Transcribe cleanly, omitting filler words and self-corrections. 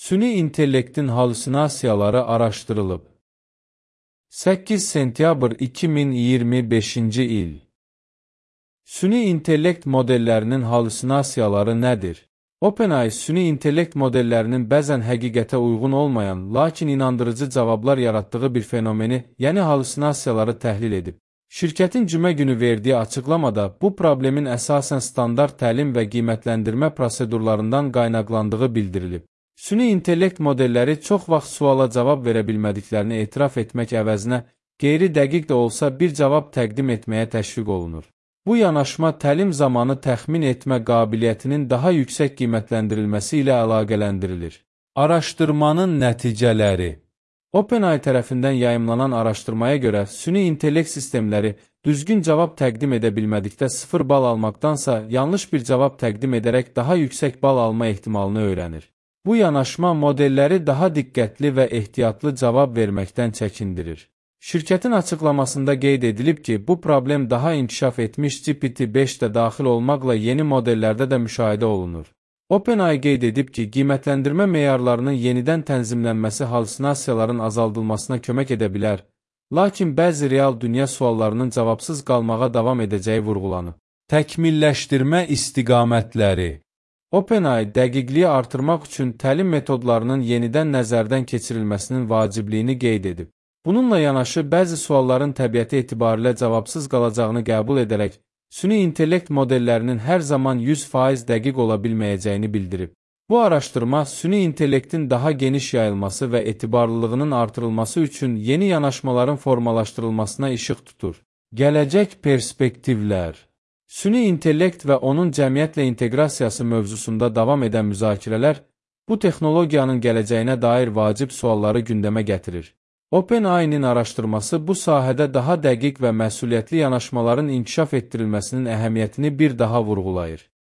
Süni intellektin halüsinasiyaları araşdırılıb. 8 sentyabr 2025-ci il. Süni intellekt modellərinin halüsinasiyaları nədir? OpenAI süni intellekt modellərinin bəzən həqiqətə uyğun olmayan, lakin inandırıcı cavablar yaratdığı bir fenomeni, yəni halüsinasiyaları təhlil edib. Şirkətin cümə günü verdiyi açıqlamada bu problemin əsasən standart təlim və qiymətləndirmə prosedurlarından qaynaqlandığı bildirilib. Süni intellekt modelləri çox vaxt suala cavab verə bilmədiklərini etiraf etmək əvəzinə, qeyri-dəqiq də olsa bir cavab təqdim etməyə təşviq olunur. Bu yanaşma təlim zamanı təxmin etmə qabiliyyətinin daha yüksək qiymətləndirilməsi ilə əlaqələndirilir. Araşdırmanın nəticələri. OpenAI tərəfindən yayımlanan araşdırmaya görə süni intellekt sistemləri düzgün cavab təqdim edə bilmədikdə 0 bal almaqdansa yanlış bir cavab təqdim edərək daha yüksək bal alma ehtimalını öyrənir. Bu yanaşma modelləri daha diqqətli və ehtiyatlı cavab verməkdən çəkindirir. Şirkətin açıqlamasında qeyd edilib ki, bu problem daha inkişaf etmiş GPT-5 də daxil olmaqla yeni modellərdə də müşahidə olunur. OpenAI qeyd edib ki, qiymətləndirmə meyarlarının yenidən tənzimlənməsi halüsinasiyaların azaldılmasına kömək edə bilər, lakin bəzi real dünya suallarının cavabsız qalmağa davam edəcəyi vurğulanıb. Təkmilləşdirmə istiqamətləri. OpenAI dəqiqliyi artırmaq üçün təlim metodlarının yenidən nəzərdən keçirilməsinin vacibliyini qeyd edib. Bununla yanaşı, bəzi sualların təbiəti etibarilə cavabsız qalacağını qəbul edərək, süni intellekt modellərinin hər zaman 100% dəqiq ola bilməyəcəyini bildirib. Bu araşdırma, süni intellektin daha geniş yayılması və etibarlılığının artırılması üçün yeni yanaşmaların formalaşdırılmasına işıq tutur. Gələcək perspektivlər. Süni intellekt və onun cəmiyyətlə inteqrasiyası mövzusunda davam edən müzakirələr, bu texnologiyanın gələcəyinə dair vacib sualları gündəmə gətirir. OpenAI-nin araşdırması bu sahədə daha dəqiq və məsuliyyətli yanaşmaların inkişaf etdirilməsinin əhəmiyyətini bir daha vurğulayır.